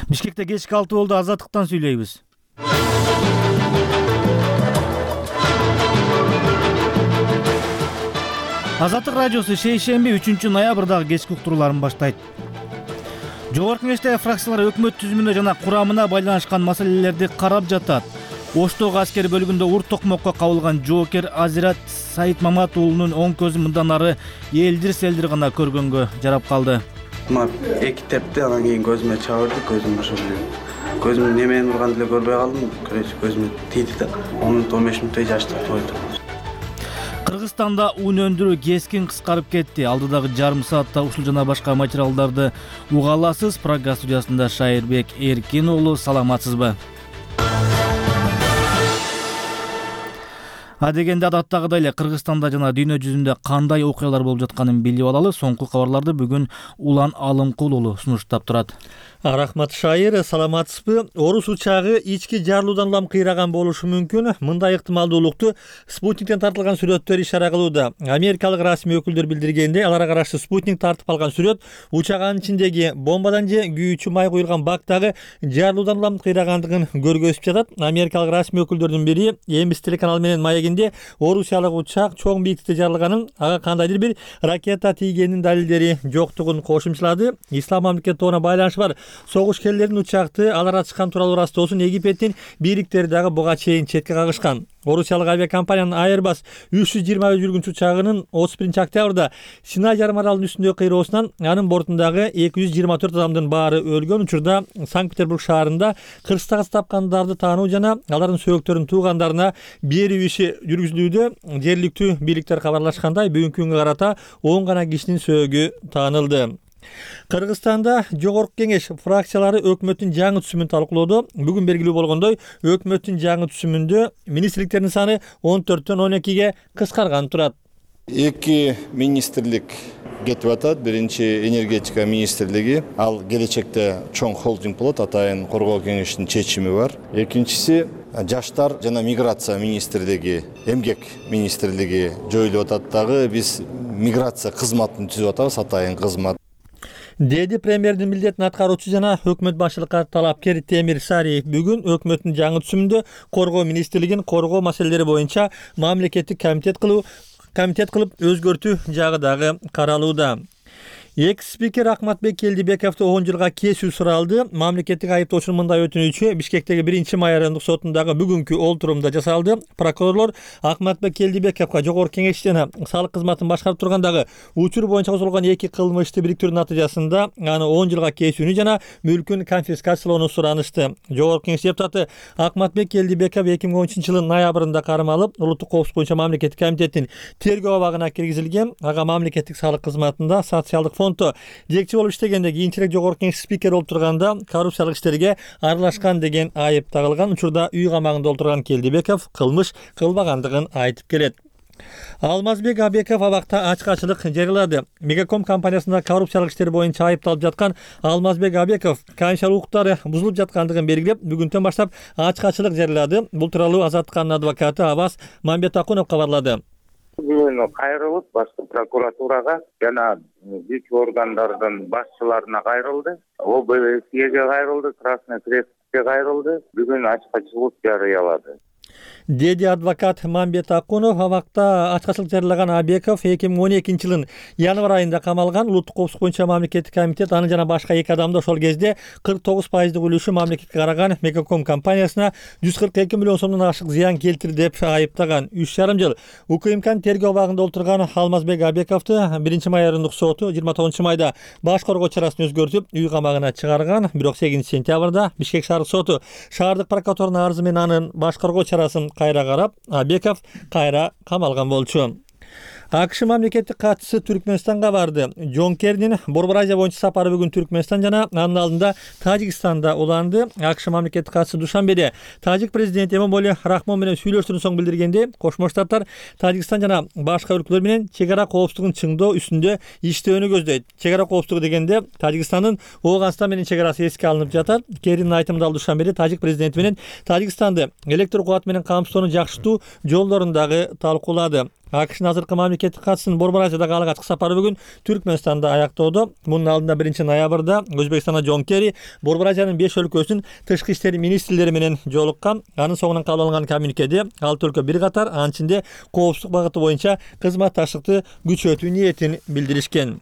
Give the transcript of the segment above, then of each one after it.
Бишкекте кечки 6 болду, Азаттыктан сүйлөйбүз. Азаттык радиосу шейшемби 3 ноябрдагы кечки уктурууларын баштайт. Жогорку Кеңештеги фракциялар өкмөт түзүмүнө жана курамына байланышкан маселелерди карап жатат. Оштогу аскер бөлүгүндө урт токмокко кабылган жоокер Азират Саид уулунун оң көзү мындан ары элдир-селдир гана көргөнгө жарап калды. Эки тепти, анан кийин көзүмө чабырды, көзүм ошо көзүм немени урган деле көрбөй калдым. Көзүмө тийди да 10-15 мүнөттөй жаш тойду. Кыргызстанда ун өндүрүү кескин кыскарып кетти. Алдыдагы жарым саатта ушул жана башка материалдарды уга аласыз. Программа студиясында Шайырбек Эркин уулу, саламатсызбы? Адегенде адаттагыдай эле Кыргызстанда жана дүйнө жүзүндө кандай окуялар болуп жатканын билип алалы. Соңку кабарларды бүгүн Улан Алымкул уулу сунуштап турат. Рахмат Шайыр, саламатсызбы? Орус учагы ички жарылуудан улам кыйраган болушу мүмкүн. Мындай ыктымалдуулукту Спутниктен тартылган сүрөттөр ишара кылууда. Америкалык расмий өкүлдөр билдиргенде, аларга каршы Спутник тартып алган сүрөт учагынын ичиндеги бомбадан же күйүүчү май куюлган бактагы жарылуудан улам кыйрагандыгын көргөзүп жатат. Америкалык расмий өкүлдөрдүн бири MBC телеканалы менен маегинде орусиялык учак чоң бийиктикте жарылганын, ага кандайдыр бир ракета тийгенин далилдери жоктугун кошумчалады. Ислам мамлекети тобуна байланышы бар согушкерлердин учакты алар ачкан тууралуу растоосун Египеттин бийликтери дагы буга чейин четке кагышкан. Орусиялык авиакомпаниянын Airbus 320 жүргүнчү учагынын 31 октябрда Синай жарым аралынын үстүндөгү кыйроосунан анын бортундагы 224 адамдын баары өлгөн учурда Санкт-Петербург шаарында кырсыктагы тапкандарды таануу жана алардын сөөктөрүн туугандарына берүү иши жүргүзүлүүдө. Жергиликтүү бийликтер кабарлашкандай, бүгүнкү күнгө карата 10 гана кишинин сөөгү таанылды. Кыргызстанда Жогорку Кеңеш фракциялары өкмөттүн жаңы түзүмүн талкуулоодо. Бүгүн белгилүү болгондой, өкмөттүн жаңы түзүмүндө министрликтердин саны 14төн 12ге кыскарган турат. 2 министрлик кетип атат. Биринчи энергетика министрлиги, ал келечекте чоң холдинг болот, атайын коргоо кеңешинин чечими бар. Экинчиси жаштар жана миграция министрлиги, эмгек министрлиги жоюлуп атат дагы. Биз миграция кызматын түзүп атабыз, атайын кызмат. Деди премьердин милдетин аткаруучу жана өкмөт башчылыкка талапкер Темир Сариев бүгүн өкмөттүн жаңы түзүмүндө коргоо министрлигин коргоо маселелери боюнча мамлекеттик комитет кылып өзгөртүү жагы дагы каралууда. Экс-спикер Акматбек Келдибековду 10 жылга кесүү суралды. Мамлекеттик айыптоочунун мындай өтүнүчү Бишкектеги 1-май райондук сотундагы бүгүнкү олтурумда жасалды. Прокурорлор Акматбек Келдибековго Жогорку Кеңеш жана салык кызматын башкарып тургандагы учур боюнча козголгон 2 кылмышты бириктирүүнүн натыйжасында аны 10 жылга кесүүнү жана мүлкүн конфискациялоону суранышты. Жогорку Кеңеш депутаты Акматбек Келдибеков 2013 жылдын ноябрында кармалып, улуттук коопсуздук боюнча мамлекеттик комитеттин тергөө абагына киргизилген. Ага мамлекеттик салык кызматында социалдык жетекчи болуп иштегенде, кийинчерээк Жогорку Кеңеш спикер болуп турганда коррупциялык иштерге аралашкан деген айып тагылган. Учурда үй камагында отурган Келдибеков кылмыш кылбагандыгын айтып келет. Алмазбек Абеков абакта ачкачылык жарыялады. Мегаком компаниясында коррупциялык иштер боюнча айыпталып жаткан Алмазбек Абеков конституциялык укуктары бузулуп жаткандыгын белгилеп, бүгүнтөн баштап ачкачылык жарыялады. Бул тууралуу Азаттыктын адвокаты Абас Мамбетакунов кабарлады. Бүгүн кайрылып башкы прокуратурага жана бүт органдардын башчыларына кайрылды. ОБСЕге кайрылды, Красный Крестке кайрылды. Бүгүн ачкачылык жарыялады. Деди адвокат Мамбет Акунов. Абакта ачкачылык жарыялаган Абеков 2012 жылдын январь айында камалган. Улуттук коопсуздук боюнча мамлекеттик комитет аны жана башка 2 адамды ошол кезде 49% үлүшү мамлекетке караган Мегаком компаниясына 142 миллион сомдон ашык зыян келтирди деп айыптаган. 3,5 жыл УКМКнын тергөө абагында отурган Алмазбек Абековду 1-май райондук соту 29 майда баш коргоо чарасын өзгөртүп, үй камагына чыгарган. Бирок 8-сентябрда Бишкек шаардык соту шаардык прокуратуранын арызы менен анын баш коргоо чарасын кайра карап, Абеков кайра камалган болчу. АКШ мамлекеттик катчысы Түркмөнстанга барды. Джон Керринин Борбор Азия боюнча сапары бүгүн Түркмөнстан жана анын алдында Тажикстанда уланды. АКШ мамлекеттик катчысы Душанбеде Тажик президенти Эмомали Рахмон менен сүйлөштөрдөн соң билдиргенде, Кошмо Штаттар Тажикстан жана башка өлкөлөр менен чек ара коопсуздугун чыңдоо үстүндө иштөөнү көздөйт. Чек ара коопсуздугу дегенде Тажикстандын Ооганстан менен чек арасы эске алынып жатат. Керринин айтымында Душанбеде Тажик президенти менен Тажикстанды электр кубаты менен камсыздоону жакшыртуу жолдорун дагы талкуулады. АКШнын азыркы мамлекеттик катчысынын Борбор-Азиядагы алгачкы сапары бүгүн Түркмөнстанда аяктоодо. Мунун алдында 1-ноябрда Өзбекстанда Джон Керри Борбор-Азиянын 5 өлкөсүнүн тышкы иштер министрлери менен жолуккан. Анын соңунан кабыл алынган коммюникеде 6 өлкө бир катар анын ичинде коопсуздук багыты боюнча кызматташтыкты күчөтүү ниетин билдиришкен.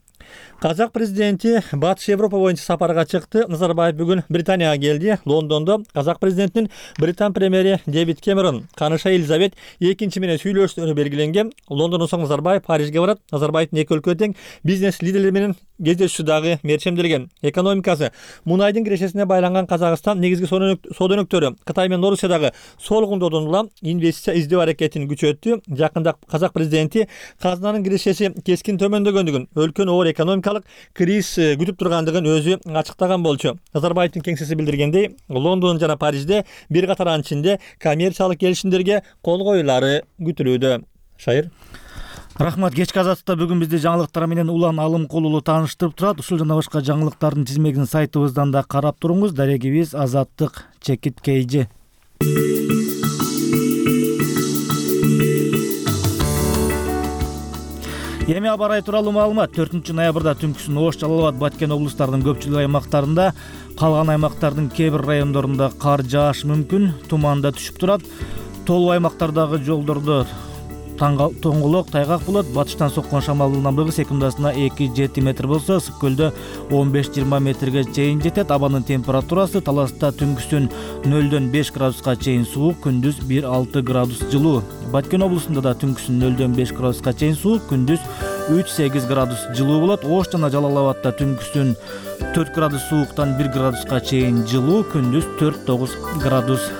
Казак президенти Батыш Европа боюнча сапарга чыкты. Назарбаев бүгүн Британияга келди. Лондондо казак президентинин Британ премьери Дэвид Кэмерон каныша Елизавет II менен сүйлөшүүнү белгиленген. Лондондон соң Назарбаев Парижге барат. Назарбаевдин эки өлкө тең бизнес лидерлери менен кездешүү дагы мерчемделген. Экономикасы мунайдын кирешесине байланган Казакстан негизги соода өнөктөрү Кытай менен Орусиядагы солгундоодон улам инвестиция издөө аракетин күчөттү. Жакында казак президенти казынанын кирешеси кескин төмөндөгөндүгүн, өлкөнү оор экономикалык кризис күтүп тургандыгын өзү ачыктаган болчу. Назарбаевдин кеңсеси билдиргендей, Лондон жана Парижде бир катар анын ичинде коммерциялык келишимдерге кол коюлары күтүлүүдө. Шайыр. Рахмат. Кечки азаттыкта бүгүн бизди жаңылыктар менен Улан Алымкулуу тааныштырып турат. Ушул жана башка жаңылыктардын тизмегин сайтыбыздан да карап туруңуз. Дарегибиз Азаттык _KG. Эми аба ырайы тууралуу маалымат. 4-ноябрда түнкүсүн Ош, Жалал абад, Баткен облустарынын көпчүлүк аймактарында, калган аймактардын кээ бир райондорунда кар жаашы мүмкүн, туман да түшүп турат. Толуу аймактардагы жолдордо тоңголок, тайгак болот. Батыштан соккон шамалдын ылдамдыгы секундасына 2-7 метр болсо, ысык көлдө 15-20 метрге чейин жетет. Абанын температурасы Таласта түнкүсүн 0-дөн 5 градуска чейин суук, күндүз 1-6 градус жылуу. Баткен облусунда да түнкүсүн 0-дөн 5 градуска чейин суук, күндүз 3-8 градус жылуу болот. Ош жана Жалал абадта түнкүсүн 4 градус сууктан 1 градуска чейин жылуу, күндүз 4-9 градус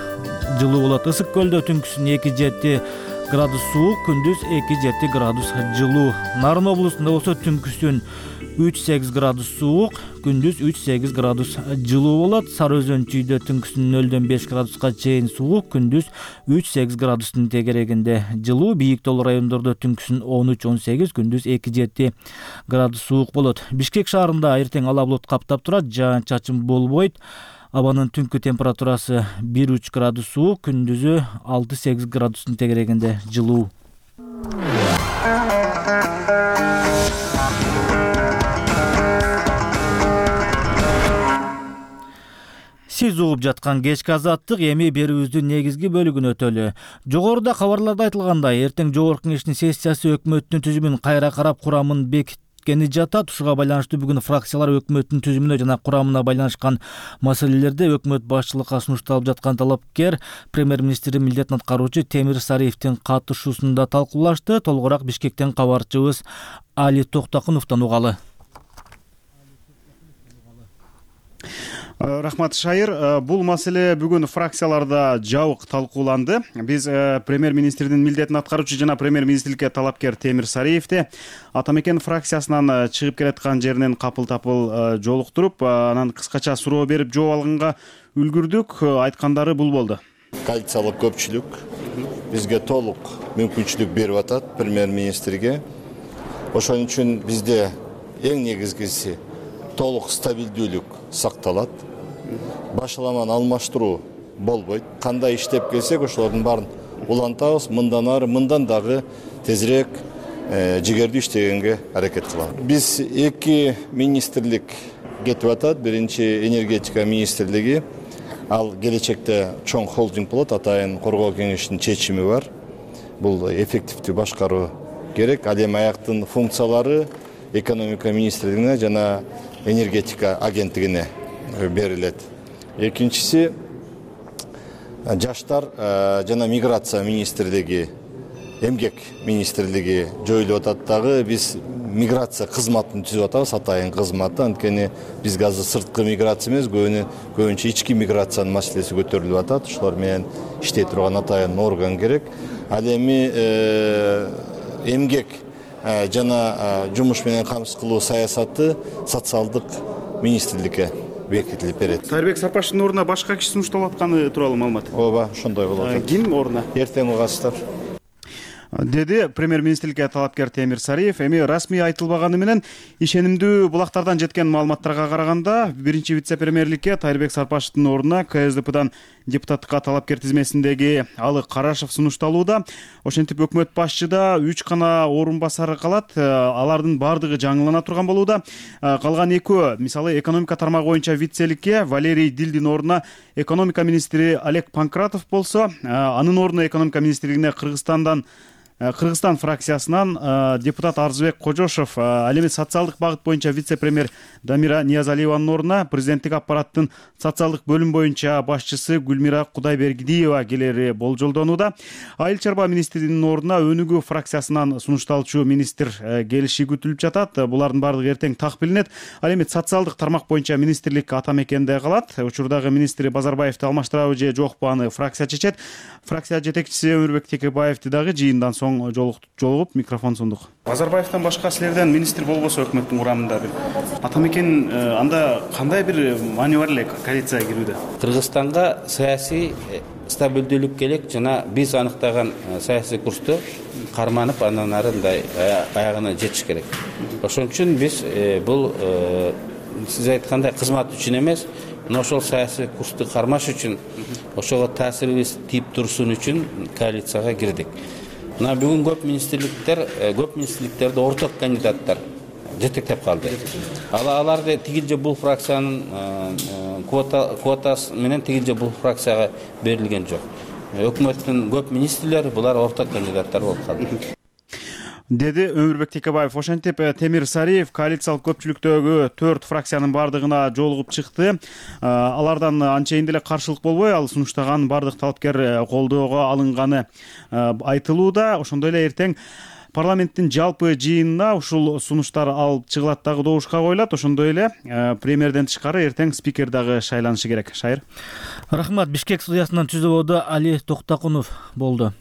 жылуу болот. Ысык көлдө түнкүсүн 2-7 градус суук, күндүз 2-7 градус жылуу. Нарын облусунда болсо түнкүсүн 3-8 градус суук, күндүз 3-8 градус жылуу болот. Сары Өзөн Чүйдө түнкүсүн 0-дөн 5 градуска чейин суук, күндүз 3-8 градустун тегерегинде жылуу. Бийик тоолуу райондордо түнкүсүн 13-18, күндүз 2-7 градус суук болот. Бишкек шаарында эртең ала булут каптап турат, жаан-чачын болбойт. Абанын түнкү температурасы 1-3 градус суук, күндүзү 6-8 градустун тегерегинде жылуу. Сиз угуп жаткан кечки азаттык эми берүүбүздүн негизги бөлүгүнө өтөлү. Жогоруда кабарларда айтылгандай, эртең Жогорку Кеңештин сессиясы өкмөттүн түзүмүн кайра карап курамын бекиткени жатат. Ушуга байланыштуу бүгүн фракциялар өкмөттүн түзүмүнө жана курамына байланышкан маселелерде өкмөт башчылыкка сунушталып жаткан талапкер премьер-министрдин милдетин аткаруучу Темир Сариевдин катышуусунда талкуулашты. Толугураак Бишкектен кабарчыбыз Али Токтокуновдон угалы. Рахмат, Шайыр. Бул маселе бүгүн фракцияларда жабык талкууланды. Биз премьер-министрдин милдетин аткаруучу жана премьер-министрликке талапкер Темир Сариевди Ата Мекен фракциясынан чыгып келаткан жеринен капыл-тапыл жолуктуруп, анан кыскача суроо берип жооп алганга үлгүрдүк. Айткандары бул болду. Коалициялык көпчүлүк бизге толук мүмкүнчүлүк берип атат премьер-министрге. Ошон үчүн бизде эң негизгиси толук стабилдүүлүк сакталат. Башаламаны алмаштыруу болбойт. Кандай иштеп келсек, ошолордун баарын улантабыз. Мындан ары, мындан дагы тезирээк жигердүү иштегенге аракет кылабыз. Биз эки министрлик кетип атат. Биринчи энергетика министрлиги. Ал келечекте чоң холдинг болот. Атайын Коргоо кеңешинин чечими бар. Бул эффективдүү башкаруу керек. Ал эми аяктын функциялары экономика министрлигине жана энергетика агенттигине берилет. Экинчиси жаштар жана миграция министрлиги, эмгек министрлиги жоюлуп атат дагы. Биз миграция кызматын түзүп атабыз, атайын кызматы. Анткени бизге азыр сырткы миграция эмес, көбүнчө ички миграциянын маселеси көтөрүлүп атат. Ошолор менен иштей турган атайын орган керек. Ал эми эмгек жана жумуш менен камсыз кылуу саясаты социалдык министрликке бекитилип берет. Сайырбек Сапаштын ордуна башка киши сунушталып атканы тууралуу маалымат. Ооба, ошондой болот. Ким ордуна? Эртең угасыздар. деди премьер министрликке талапкер Темир Сариев. Эми расмий айтылбаганы менен ишенимдүү булактардан жеткен маалыматтарга караганда биринчи вице-премьерликке Тайырбек Сарпашевдин ордуна КСДПдан депутаттыкка талапкер тизмесиндеги Алы Карашев сунушталууда. Ошентип өкмөт башчыда 3 гана орун басары калат. Алардын бардыгы жаңылана турган болууда. Калган экөө, мисалы экономика тармагы боюнча вицеликке Валерий Дилдин ордуна экономика министри Олег Панкратов болсо, анын ордуна экономика министрлигине Кыргызстан фракциясынан депутат Арзыбек Кожошов, ал эми социалдык багыт боюнча вице-премьер Дамира Ниязалиеванын ордуна президенттик аппараттын социалдык бөлүм боюнча башчысы Гүлмира Кудайбергидиева келери болжолдонууда. Айыл чарба министринин ордуна Өнүгүү фракциясынан сунушталчу министр келиши күтүлүп жатат. Булардын бардыгы эртең так билинет. Ал эми социалдык тармак боюнча министрлик ата мекенде калат. Учурдагы министри Базарбаевди алмаштырабы же жокпу, аны фракция чечет. Фракция жетекчиси Өмүрбек Текебаевди дагы жыйындан соң жолугуп микрофон сундук. Базарбаевден башка силерден министр болбосо өкмөттүн курамында бир ата мекен анда кандай бир маани бар эле коалицияга кирүүдө? Кыргызстанга саясий стабилдүүлүк керек жана биз аныктаган саясий курсту карманып андан ары мындай аягына жетиш керек. Ошон үчүн биз бул сиз айткандай кызмат үчүн эмес, ошол саясий курсту кармаш үчүн, ошого таасирибиз тийип турсун үчүн коалицияга кирдик. Мына бүгүн көп министрликтерде орток кандидаттар жетектеп калды. Аларды тигил же бул фракциянын квотасы менен тигил же бул фракцияга берилген жок. Өкмөттүн көп министрлери булар орток кандидаттар болуп калды. Деди Өмүрбек Текебаев. Ошентип Темир Сариев коалициялык көпчүлүктөгү 4 фракциянын бардыгына жолугуп чыкты. Алардан анчейин деле каршылык болбой, ал сунуштаган бардык талапкер колдоого алынганы айтылууда. Ошондой эле эртең парламенттин жалпы жыйынына ушул сунуштар алып чыгылат дагы добушка коюлат. Ошондой эле премьерден тышкары эртең спикер дагы шайланышы керек. Шайыр. Рахмат. Бишкек студиясынан түзүүдө Али Токтакунов болду.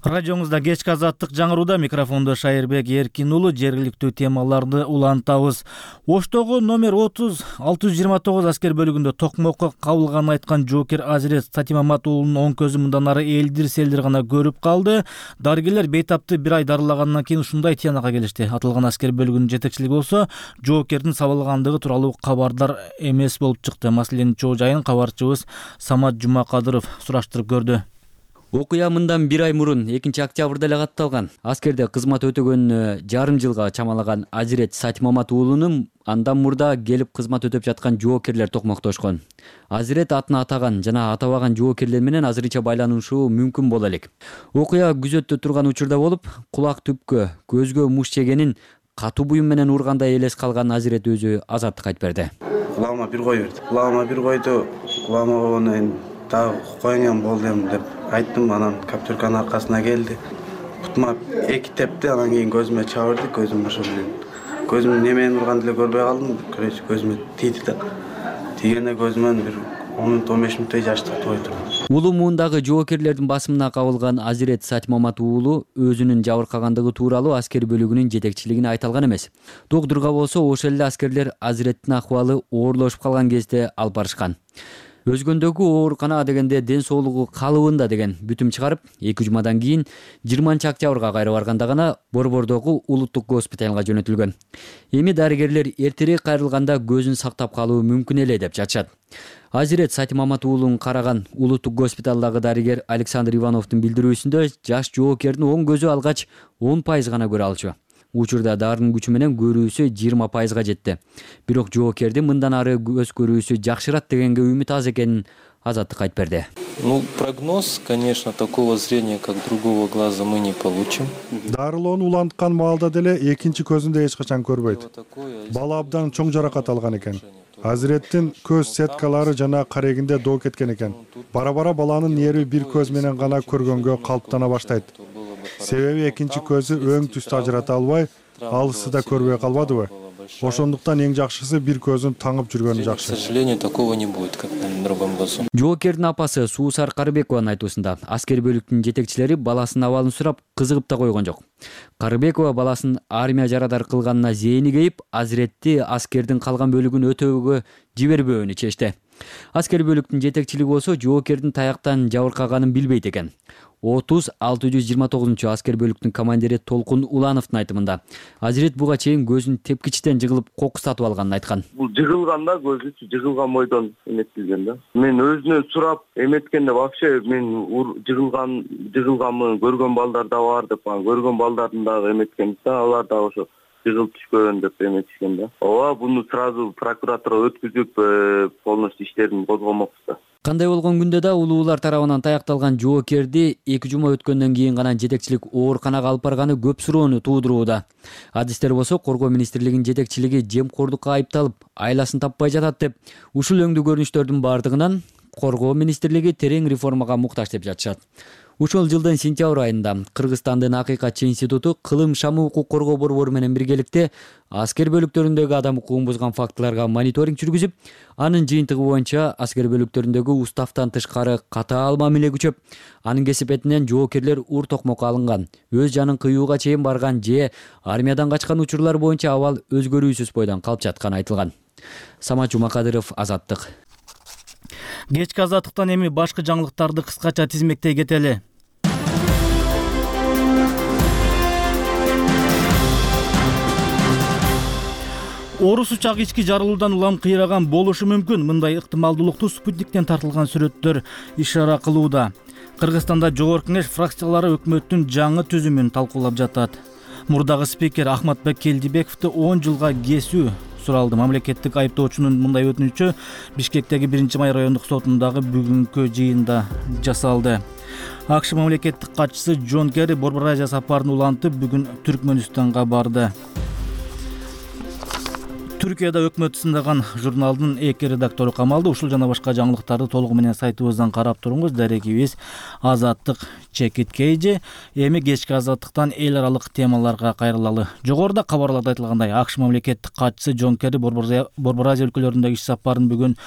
Радиоңузда кечки азаттык жаңырууда, микрофондо Шайырбек Эркин уулу. Жергиликтүү темаларды улантабыз. Оштогу номер 30 629 аскер бөлүгүндө токмокко кабылганын айткан жоокер Азирет Сатимамат уулунун оң көзү мындан ары элдир-селдир гана көрүп калды. Дарыгерлер бейтапты 1 ай дарылагандан кийин ушундай тыянакка келишти. Аталган аскер бөлүгүнүн жетекчилиги болсо жоокердин сабалгандыгы тууралуу кабардар эмес болуп чыкты. Маселенин чоо жайын кабарчыбыз Самат Жумакадыров сураштырып көрдү. Окуя мындан 1 ай мурун 2-октябрда эле катталган. Аскерде кызмат өтөгөнүнө жарым жылга чамалаган Азирет Сатимамат уулунун андан мурда келип кызмат өтөп жаткан жоокерлер токмоктошкон. Азирет атын атаган жана атабаган жоокерлер менен азырынча байланышуу мүмкүн боло элек. Окуя күзөттө турган учурда болуп, кулак түпкө, көзгө муш жегенин катуу буюм менен ургандай элес калган Азирет өзү азаттыкка айтып берди. Кулагыма бир кой берди. Кулагыма бир койду. Кулагыма дагы коюңан болдум деп айттым. Анан каптюрканын аркасына келди. Бутума 2 тепти, анан кийин көзүмө чабырды. Көзүм ошо менен. Көзүм немени урганды эле көрбөй калдым. Көрөчү көзүмө тийди да. Тийгенде көзүмөн бир 10-15 мүнөттөй жаш токтоп турду. Улуу муундагы жоокерлердин басымына кабылган Азирет Сатимамат уулу өзүнүн жабыркагандыгы тууралуу аскер бөлүгүнүн жетекчилигине айта алган эмес. Доктурга болсо ошол эле аскерлер Азиреттин акыбалы оорлошуп калган кезде алып барышкан. Өзгөндөгү оорукана дегенде ден соолугу калыбында деген бүтүм чыгарып, 2 жумадан кийин 20-октябрга кайра барганда гана Борбордогу улуттук госпиталга жөнөтүлгөн. Эми дарыгерлер эртерээк кайрылганда көзүн сактап калуу мүмкүн эле деп жатышат. Азирет Сатимамат уулун караган улуттук госпиталдагы дарыгер Александр Ивановдун билдирүүсүндө жаш жоокердин оң көзү алгач 10% гана көрө алчу. Учурда дарынын күчү менен көрүүсү 20%га жетти. Бирок жоокердин мындан ары көз көрүүсү жакшырат дегенге үмүт аз экенин Азаттыкка айтып берди. Прогноз, конечно, такого зрения, как другого глаза, мы не получим. Дарылоону уланткан маалда деле экинчи көзүндө эч качан көрбөйт. Бала абдан чоң жаракат алган экен. Азиреттин көз сеткалары жана карегинде доо кеткен экен. Бара-бара баланын нерви бир көз менен гана көргөнгө калыптана баштайт. Себеби экинчи көзү өң түстү ажырата албай, алысты да көрбөй калбадыбы? Ошондуктан эң жакшысы бир көзүн таңып жүргөнү К жакшы. сожалению, такого не будет, как в другом году. Жоокердин апасы Суусар Карыбекованын айтуусунда аскер бөлүктүн жетекчилери баласынын абалын сурап кызыгып да койгон жок. Карыбекова баласынын армия жарадар кылганына зээни кейип, Азиретти аскердин калган бөлүгүн өтөөгө жибербөөнү чечти. Аскер бөлүктүн жетекчилиги болсо жоокердин таяктан жабыркаганын билбейт экен. 30-629 аскер бөлүктүн командири Толкун Улановдун айтымында Азирет буга чейин көзүн тепкичтен жыгылып кокус сатып алганын айткан. Бул жыгылганда көзү жыгылган бойдон эметилген да. Мен өзүнөн сурап эметкенде вообще мен жыгылганмы көргөн балдар да бар деп, көргөн балдардын дагы эметкен да, алар да ошо жыгылып түшкөн деп эметишкен да. Ооба, буну сразу прокуратура өткүзүп полностью иштерин козгомокпуз да. Кандай болгон күндө да улуулар тарабынан таякталган жоокерди 2 жума өткөндөн кийин гана жетекчилик ооруканага алып барганы көп суроону туудурууда. Адистер болсо Коргоо министрлигинин жетекчилиги жемкордукка айыпталып, айласын таппай жатат деп, ушул өңдүү көрүнүштөрдүн бардыгынан Коргоо министрлиги терең реформага муктаж деп жатышат. Ушул жылдын сентябрь айында Кыргызстандын Акыйкатчы институту кылым шамы укук коргоо борбору менен биргеликте аскер бөлүктөрүндөгү адам укугун бузган фактыларга мониторинг жүргүзүп, анын жыйынтыгы боюнча аскер бөлүктөрүндөгү уставтан тышкары катаал мамиле күчөп, анын кесипетинен жоокерлер ур токмокко алынган, өз жанын кыюуга чейин барган же армиядан качкан учурлар боюнча абал өзгөрүүсүз бойдон калып жатканы айтылган. Самат Жумакадыров, Азаттык. Кечки азаттыктан эми башкы жаңылыктарды кыскача тизмектей кетели. Орус учагы ички жарылуудан улам кыйраган болушу мүмкүн. Мындай ыктымалдуулукту спутниктен тартылган сүрөттөр ишара кылууда. Кыргызстанда жогорку кеңеш фракциялары өкмөттүн жаңы түзүмүн талкуулап жатат. Мурдагы спикер Ахматбек Келдибековду 10 жылга кесүү суралды. Мамлекеттик айыптоочунун мындай өтүнүчү Бишкектеги 1-май райондук сотундагы бүгүнкү жыйында жасалды. АКШ мамлекеттик катчысы Джон Керри Борбор Азия сапарын улантып, бүгүн Түркмөнстанга барды. Түркияда өкмөт сындаган журналдын 2 редактору камалды. Ушул жана башка жаңылыктарды толугу менен сайтыбыздан карап туруңуз. Дарегибиз Азаттык чекиткейже. Эми кечки азаттыктан эл аралык темаларга кайрылалы. Жогоруда кабарларда айтылгандай, АКШ мамлекеттик катчысы Джон Керри Борбор Азия өлкөлөрүндөгү иш сапарын бүгүн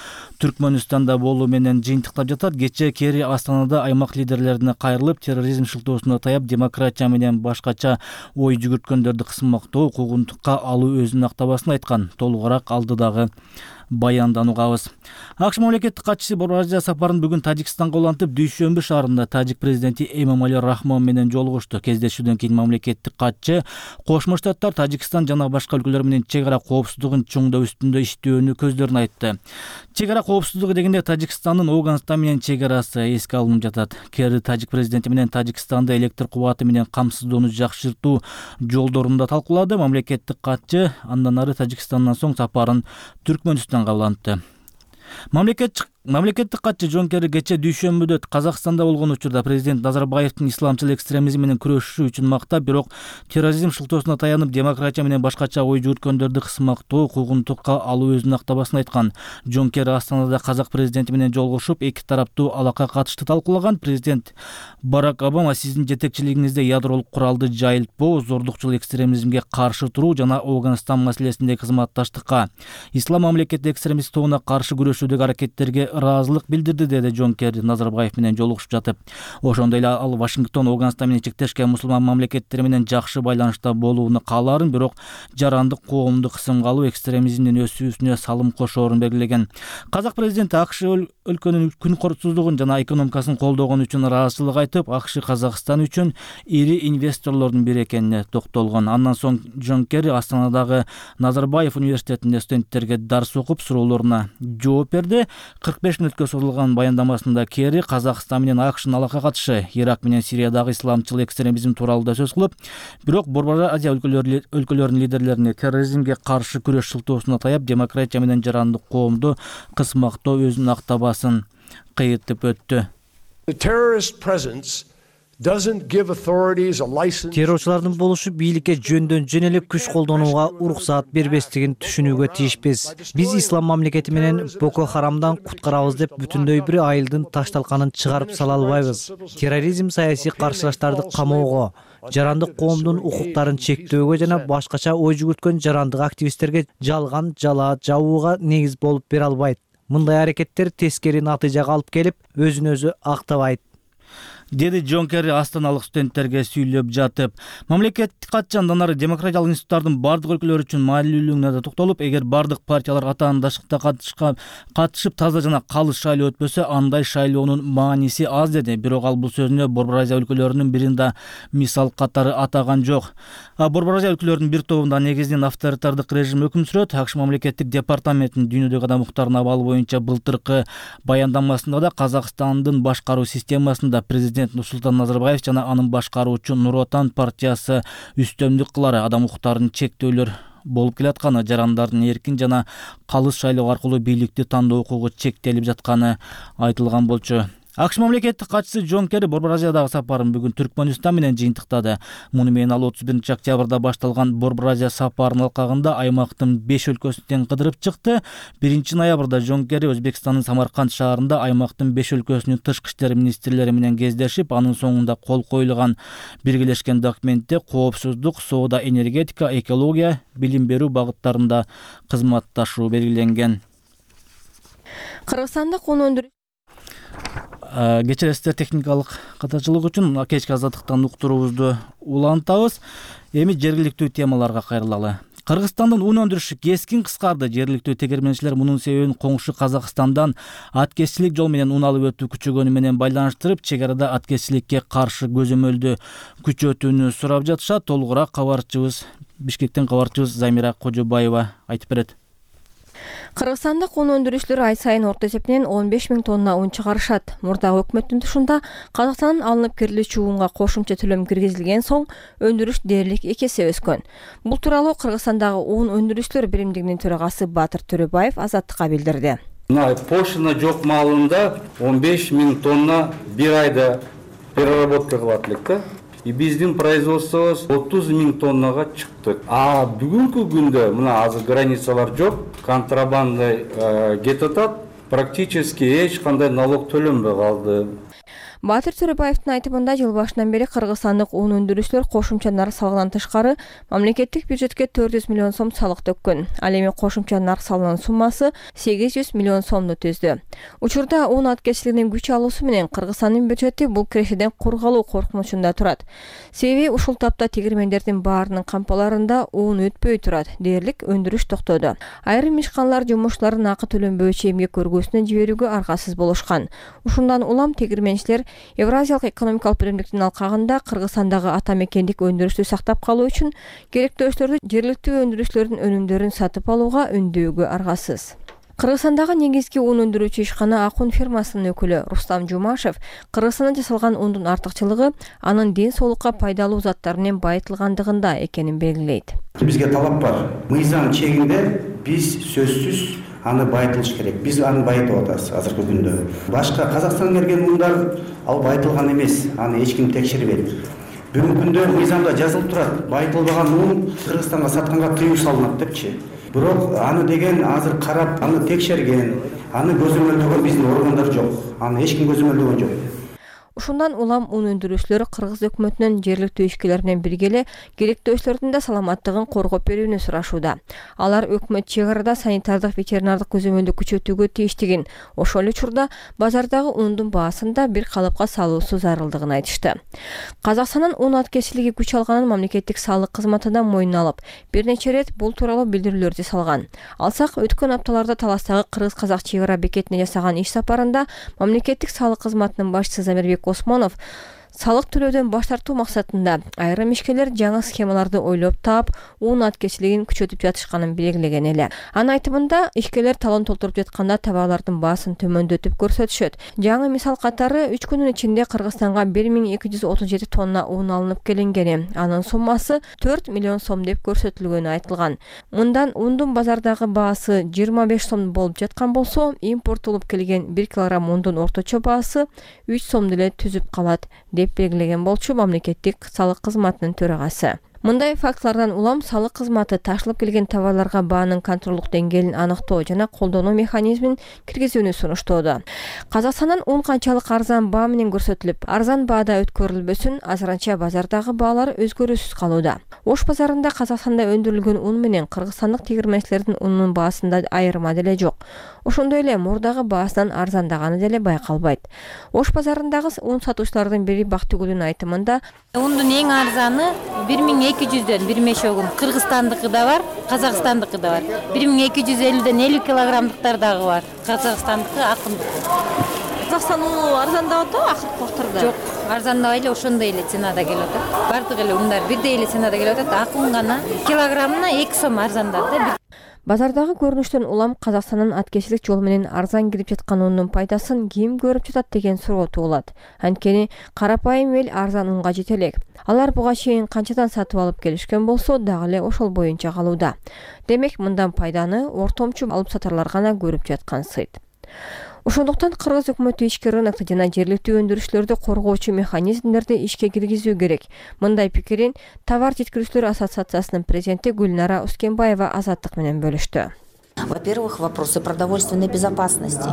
Түркмөнстанда болуу менен жыйынтыктап жатат. Кечээ Керри Астанада аймак лидерлерине кайрылып, терроризм шылтоосуна таяп, демократия менен башкача ой жүгүрткөндөрдү кысмактоо, укугунтукка алуу өзүнүн актабасын айткан. Толугураак алдыдагы баяндан угабыз. АКШ мамлекеттик катчысы Борбор Азия сапарын бүгүн Тажикстанга улантып, Дүйшөмбү шаарында тажик президенти Эмомали Рахмон менен жолугушту. Кездешүүдөн кийин мамлекеттик катчы Кошмо Штаттар, Тажикстан жана башка өлкөлөр менен чек ара коопсуздугун чоңдоо үстүндө иштөөнү көздөрүн айтты. Чек ара коопсуздугу дегенде Тажикстандын Оганстан менен чек арасы эске алынып жатат. Керри тажик президенти менен Тажикстанды электр кубаты менен камсыздоону жакшыртуу жолдорун да талкуулады. Мамлекеттик катчы андан ары Тажикстандан соң сапарын Түркмөнстанга улантты. Мамлекеттик катчы Джон Керри кечээ Дүйшөмбүдө Казакстанда болгон учурда президент Назарбаевдин исламчыл экстремизм менен күрөшүшү үчүн мактап, бирок терроризм шылтоосуна таянып, демократия менен башкача ой жүгүрткөндөрдү кысмактоо, укугунтукка алуу өзүнүн актабасын айткан. Джон Керри Астанада казак президенти менен жолугушуп, эки тараптуу алакка катышты талкуулаган. Президент Барак Обама сиздин жетекчилигиңизде ядролук куралды жайылтпоо, зордукчул экстремизмге каршы туруу жана Афганистан маселесиндеги кызматташтыкка, ислам мамлекети экстремист тобуна каршы күрөшүүдөгү аракеттерге ыраазылык билдирди, деди Джон Керри Назарбаев менен жолугушуп жатып. Ошондой эле ал Вашингтон Афганистан менен чектешкен мусулман мамлекеттери менен жакшы байланышта болууну каалаарын, бирок жарандык коомду кысымга алуу экстремизмдин өсүүсүнө салым кошоорун белгилеген. Казак президенти АКШ өлкөнүн күн корутсуздугун жана экономикасын колдогон үчүн ыраазычылык айтып, АКШ Казакстан үчүн ири инвесторлордун бири экенине токтолгон. Андан соң Джон Керри Астанадагы Назарбаев университетинде студенттерге дарс окуп, суроолоруна жооп берди. 45 мүнөткө созулган баяндамасында Керри Казакстан менен АКШнын алакка катышы, Ирак менен Сириядагы исламчыл экстремизм тууралуу да сөз кылып, бирок Борбор Азия өлкөлөрүнүн лидерлерине терроризмге каршы күрөш шылтоосуна таяп, демократия менен жарандык коомду кысмактоо өзүнүн актабасын кыйыртып өттү. The terrorist presence Террорчулардын болушу бийликке жөндөн жөн эле күч колдонууга уруксаат бербестигин түшүнүүгө тийишпиз. Биз ислам мамлекети менен Боко Харамдан куткарабыз деп бүтүндөй бир айылдын таш-талканын чыгарып сала албайбыз. Терроризм саясий каршылаштарды камоого, жарандык коомдун укуктарын чектөөгө жана башкача ой жүгүрткөн жарандык активисттерге жалган жала жабууга негиз болуп бере албайт. Мындай аракеттер тескери натыйжага алып келип, өзүн өзү актабайт, деди Джон Керри астаналык студенттерге сүйлөп жатып. Мамлекеттик катчы андан ары демократиялык институттардын бардык өлкөлөр үчүн маанилүүлүгүнө да токтолуп, эгер бардык партиялар атаандашыкта катышып таза жана калыс шайлоо өтпөсө, андай шайлоонун мааниси аз деди. Бирок ал бул сөзүнө Борбор Азия өлкөлөрүнүн биринде мисал катары атаган жок. Борбор Азия өлкөлөрүнүн бир тобунда негизинен авторитардык режим өкүм сүрөт. АКШ мамлекеттик департаментинин дүйнөдөгү адам укуктарына абалы боюнча былтыркы баяндамасында да Казакстандын башкаруу системасында президент Нурсултан Назарбаев жана анын башкаруучу Нур Отан партиясы үстөмдүк кылары, адам укуктарын чектөөлөр болуп келатканы, жарандардын эркин жана калыс шайлоо аркылуу бийликти тандоо укугу чектелип жатканы айтылган болчу. АКШ мамлекеттик катчысы Джон Керри Борбор Азиядагы сапарын бүгүн Түркмөнстан менен жыйынтыктады. Муну менен ал 31 октябрда башталган Борбор Азия сапарынын алкагында аймактын 5 өлкөсүн кыдырып чыкты. 1 ноябрда Джон Керри Өзбекстандын Самарканд шаарында аймактын 5 өлкөсүнүн тышкы иштер министрлери менен кездешип, анын соңунда кол коюлган биргелешкен документте коопсуздук, соода, энергетика, экология, билим берүү багыттарында кызматташуу белгиленген. Кыргызстандык un өндүрүү Кечиресиздер техникалык катачылык үчүн кечки азаттыктан уктуруубузду улантабыз. Эми жергиликтүү темаларга кайрылалы. Кыргызстандын un өндүрүшү кескин кыскарды. Жергиликтүү тегерменчилер мунун себебин коңшу Казакстандан аткезчилик жол менен un алып өтүү күчөгөнү менен байланыштырып, чек арада аткезчиликке каршы көзөмөлдү күчөтүүнү сурап жатышат. Толугураак Бишкектен кабарчыбыз Замира Кожобаева айтып берет. Кыргызстандык un өндүрүүчүлөр ай сайын орто эсептен 15 000 тонна un чыгарышат. Мурдагы өкмөттүн тушунда Казакстандан алынып кирилүүчү унга кошумча төлөм киргизилген соң өндүрүш дээрлик 2 эсе өскөн. Бул тууралуу Кыргызстандагы un өндүрүүчүлөр биримдигинин төрагасы Батыр Төрөбаев Азаттыкка билдирди. Пошлина жок маалында 15 000 тонна бир айда переработка кылат элек да. И биздин производствобуз 30 000 тоннага чыкты. Бүгүнкү күндө мына азыр границалар жок, контрабанда кетип атат, практически эч кандай налог төлөнбөй калды. Батыр Төрөбаевдин айтымында жыл башынан бери кыргызстандык un өндүрүүчүлөр кошумча нарк салыгынан тышкары мамлекеттик бюджетке 400 миллион сом салык төккөн. Ал эми кошумча нарк салынын суммасы 800 миллион сомду түздү. Учурда un аткезчилигинин күч алуусу менен Кыргызстандын бюджети бул кирешеден кургалуу коркунучунда турат. Себеби ушул тапта тегермендердин баарынын кампаларында un өтпөй турат, дээрлик өндүрүш токтоду. Айрым ишканалар жумушчулардын акы төлөнбөйчү эмгек көргөсүнө жиберүүгө аргасыз болушкан. Ушундан улам тегерменчилер Евразиялык экономикалык биримдиктин алкагында Кыргызстандагы ата мекендик өндүрүштү сактап калуу үчүн керектөөчүлөрдү жергиликтүү өндүрүүчүлөрдүн өнүмдөрүн сатып алууга үндөөгө аргасыз. Кыргызстандагы негизги un өндүрүүчү ишкана Акун фирмасынын өкүлү Рустам Жумашев Кыргызстанда жасалган ундун артыкчылыгы анын ден соолукка пайдалуу заттар менен байытылгандыгында экенин белгилейт. Бизге талап бар. Мыйзам чегинде биз сөзсүз аны байытылыш керек. Биз аны байытып атабыз азыркы күндө. Башка Казакстандан келген ундар ал байытылган эмес. Аны эч ким текшербейт. Бүгүнкү күндө мыйзамда жазылып турат. Байытылбаган un Кыргызстанга сатканга тыюу салынат депчи. Бирок аны деген азыр карап, аны текшерген, аны көзөмөлдөгөн биздин органдар жок. Аны эч ким көзөмөлдөгөн жок. Ушундан улам un өндүрүүчүлөр Кыргыз өкмөтүнөн жергиликтүү ишкерлер менен биргеле керектөөчүлөрдүн да саламаттыгын коргоп берүүнү сурашууда. Алар өкмөт чек арада санитардык ветеринардык көзөмөлдү күчөтүүгө тийиштигин, ошол эле учурда базардагы ундун баасын да бир калыпка салуусу зарылдыгын айтышты. Казакстандын un аткезчилиги күч алганын мамлекеттик салык кызматы да мойнуна алып, бир нече ирет бул тууралуу билдирүүлөрдү салган. Алсак, өткөн апталарда Таластагы Кыргыз-Казак чек ара бекетине жасаган иш сапарында мамлекеттик салык кызматынын башчысы Замирбек Осмонов салык төлөөдөн баш тартуу максатында айрым ишкерлер жаңы схемаларды ойлоп таап, un аткезчилигин күчөтүп жатышканын белгилеген эле. Анын айтымында, ишкерлер талон толтуруп жатканда товарлардын баасын төмөндөтүп көрсөтүшөт. Жаңы мисал катары 3 күнүн ичинде Кыргызстанга 1237 тонна un алынып келингени, анын суммасы 4 миллион сом деп көрсөтүлгөнү айтылган. Мындан ундун базардагы баасы 25 сом болуп жаткан болсо, импорттолуп келген 1 килограмм ундун орточо баасы 3 сом деле түзүп калат. деп белгилеген болчу мамлекеттик салык кызматынын төрагасы. Мындай фактылардан улам салык кызматы ташылып келген товарларга баанын контролдук деңгээлин аныктоо жана колдонуу механизмин киргизүүнү сунуштоодо. Казакстандын ун канчалык арзан баа менен көрсөтүлүп, арзан баада өткөрүлбөсүн, азырынча базардагы баалар өзгөрүүсүз калууда. Ош базарында Казакстанда өндүрүлгөн ун менен кыргызстандык тегирменчилердин унунун баасында айырма деле жок. Ошондой эле мурдагы баасынан арзандаганы деле байкалбайт. Ош базарындагы ун сатуучулардын бири Бактыгүлдүн айтымында, ундун эң арзаны 1200дөн бир мешогун. Кыргызстандыкы да бар, Казакстандыкы да бар. 1250ден 50 килограммдыктар дагы бар. Казакстандыкы акындыкы. Казакстан уну арзандап атабы акыркы убактарда? Жок, арзандабай эле ошондой эле ценада келип атат. Бардык эле ундар бирдей эле ценада келип атат. Акын гана килограммына 2 сом арзандады да. Базардагы көрүнүштөн улам Казакстандын аткечилик жол менен арзан кирип жаткан унун пайдасын ким көрүп жатат деген суроо туулат. Анткени карапайым эл арзан унга жете элек. Алар буга чейин канчадан сатып алып келишкен болсо дагы эле ошол боюнча калууда. Демек мындан пайданы ортомчу алып сатарлар гана көрүп жаткан сыйт. Ошондуктан кыргыз өкмөтү ички рынокто жана жергиликтүү өндүрүшчүлөрдү коргоочу механизмдерди ишке киргизүү керек. Мындай пикирин Товар жеткирүүчүлөр ассоциациясынын президенти Гүлнара Ускенбаева Азаттык менен бөлүштү. Во-первых, вопросы продовольственной безопасности.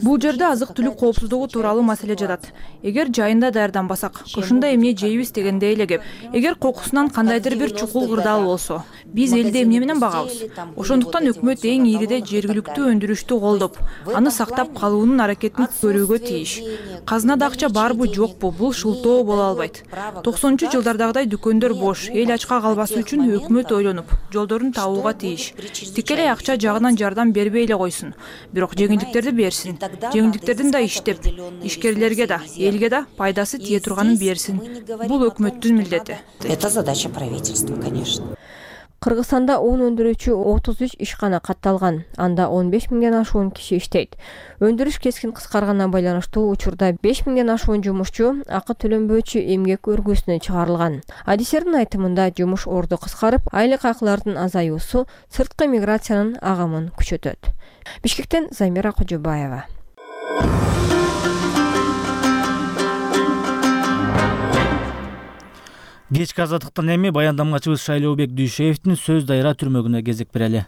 Бул жерде азык-түлүк коопсуздугу тууралуу маселе жатат. Эгер жайында даярданбасак, ушундай эмне жейбиз дегенде эле кеп. Эгер кокусунан кандайдыр бир чукул кырдаал болсо, биз элди эмне менен багабыз? Ошондуктан өкмөт эң ийриде жергиликтүү өндүрүштү колдоп, аны сактап калуунун аракетин көрүүгө тийиш. Казынада акча барбы жокпу, бул шылтоо боло албайт. 90-жылдардагыдай дүкөндөр бош, эл ачка калбасы үчүн өкмөт ойлонуп, жолдорун табууга тийиш. Тикелей акча жагынан жардам бербей эле койсун. Бирок жеңилдиктерди берсин. Жеңилдиктердин да иштеп, ишкерлерге да, элге да пайдасы тие турганын берсин. Бул өкмөттүн милдети. Это задача правительства, конечно. Кыргызстанда un өндүрүүчү 33 ишкана катталган. Анда 15 миңден ашуун киши иштейт. Өндүрүш кескин кыскарганына байланыштуу учурда 5 миңден ашуун жумушчу акы төлөнбөөчү эмгек өргүсүнө чыгарылган. Адистердин айтымында жумуш орду кыскарып, айлык акылардын азаюусу сырткы миграциянын агымын күчөтөт. Бишкектен Замира Кожобаева. Кечки азаттыктан эми баяндамачыбыз Шайлообек Дүйшеевдин сөз дайра түрмөгүнө кезек берели.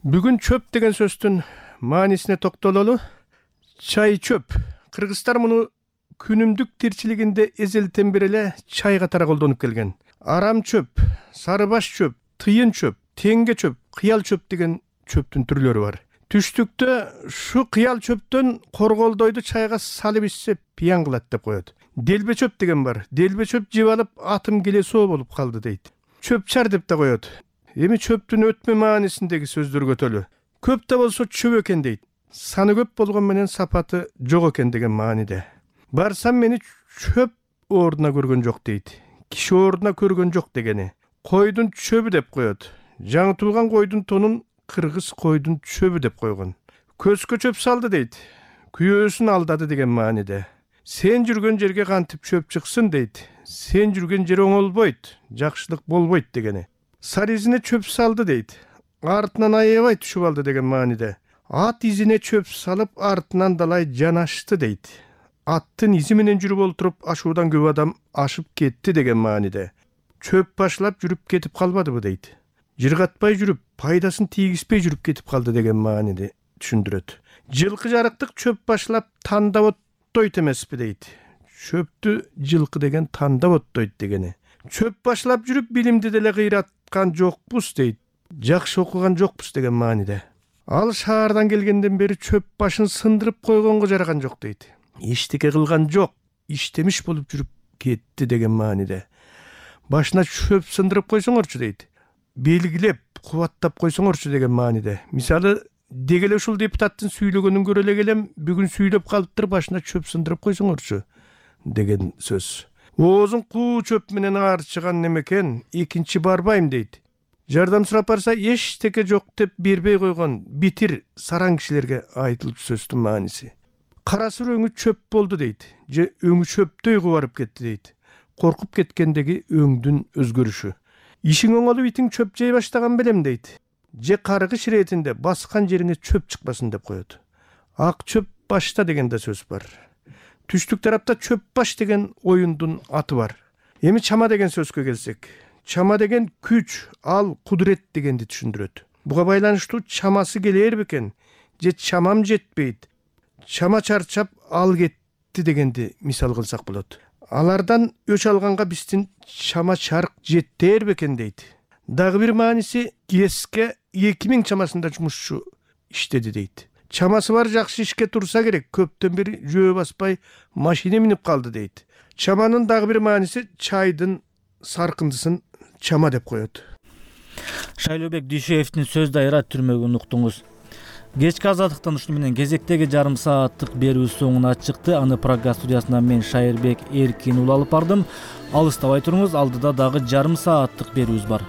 Бүгүн чөп деген сөздүн маанисине токтололу. Чай чөп. Кыргыздар муну күнүмдүк тирчилигинде эзелтен бери эле чай катары колдонуп келген. Арам чөп, сарыбаш чөп, тыйын чөп, теңге чөп, кыял чөп деген чөптүн түрлөрү бар. Түштүктө шу кыял чөптөн корголдойду чайга салып ичсе пиян кылат деп коет. Делбе чөп деген бар. Делбе чөп жеп алып атым келе соо болуп калды дейт. Чөпчар деп да коет. Эми чөптүн өтмө маанисиндеги сөздөргө төлө. Көп да болсо чөп экен дейт. Саны көп болгон менен сапаты жок экен деген мааниде. Барсам мени чөп ордуна көргөн жок дейт. Киши ордуна көргөн жок дегени. Койдун чөбү деп коет. Жаңы туулган койдун тонун кыргыз койдун чөбү деп койгон. Көзгө чөп салды дейт. Күйөөсүн алдады деген мааниде. Сен жүргөн жерге кантип чөп чыксын дейт. Сен жүргөн жер оңолбойт, жакшылык болбойт дегени. Сар изине чөп салды дейт. Артынан аябай түшүп алды деген мааниде. Ат изине чөп салып артынан далай жанашты дейт. Аттын изи менен жүрүп олтуруп ашуудан көп адам ашып кетти деген мааниде. Чөп башлап жүрүп кетип калбадыбы дейт. Жыргатпай жүрүп, пайдасын тийгизбей жүрүп кетип калды деген мааниде түшүндүрөт. Жылкы жарыктык чөп башлап тандап оттойт эмеспи дейт. Чөптү жылкы деген тандап оттойт дегени. Чөп башлап жүрүп билимди деле кыйраткан жокпуз дейт. Жакшы окуган жокпуз деген мааниде. Ал шаардан келгенден бери чөп башын сындырып койгонго жараган жок дейт. Эчтеке кылган жок, иштемиш болуп жүрүп кетти деген мааниде. Башына чөп сындырып койсоңорчу дейт. Белгилеп, кубаттап койсоңорчу деген мааниде. Мисалы, дегеле ушул депутаттын сүйлөгөнүн көрө эле келем, бүгүн сүйлөп калыптыр, башына чөп сындырып койсоңорчу деген сөз. Оозун куу чөп менен аарчыган немекен, экинчи барбайм дейт. Жардам сурап барса, эчтеке жок деп бербей койгон битир сараң кишилерге айтылып сөздүн мааниси. Карасыр өңү чөп болду дейт. Же өңү чөптөй кубарып кетти дейт. Коркуп кеткендеги өңдүн өзгөрүшү. Ишиң оңолуп итиң чөп жей баштаган белем дейт. Же каргыш иретинде баскан жериңе чөп чыкпасын деп коет. Ак чөп башта деген да сөз бар. түштүк тарапта чөп баш деген оюндун аты бар. Эми чама деген сөзгө келсек, чама деген күч, ал кудурет дегенди түшүндүрөт. Буга байланыштуу чамасы келер бекен, же чамам жетпейт, чама чарчап ал кетти дегенди мисал кылсак болот. Алардан өч алганга биздин чама чарк жеттер бекен дейт. Дагы бир мааниси ГЭСке 2000 чамасында жумушчу иштеди дейт. Чамасы бар жакшы ишке турса керек, көптөн бери жөө баспай машина минип калды дейт. Чаманын дагы бир мааниси чайдын саркындысын чама деп коет. Шайлообек Дүйшөевдин сөз дайыра түрмөгүн уктуңуз. Кечки азаттыктан ушуну менен кезектеги жарым сааттык берүү соңуна чыкты. Аны программа студиясынан мен Шайырбек Эркин улы алып бардым. Алыстабай туруңуз, алдыда дагы жарым сааттык берүүбүз бар.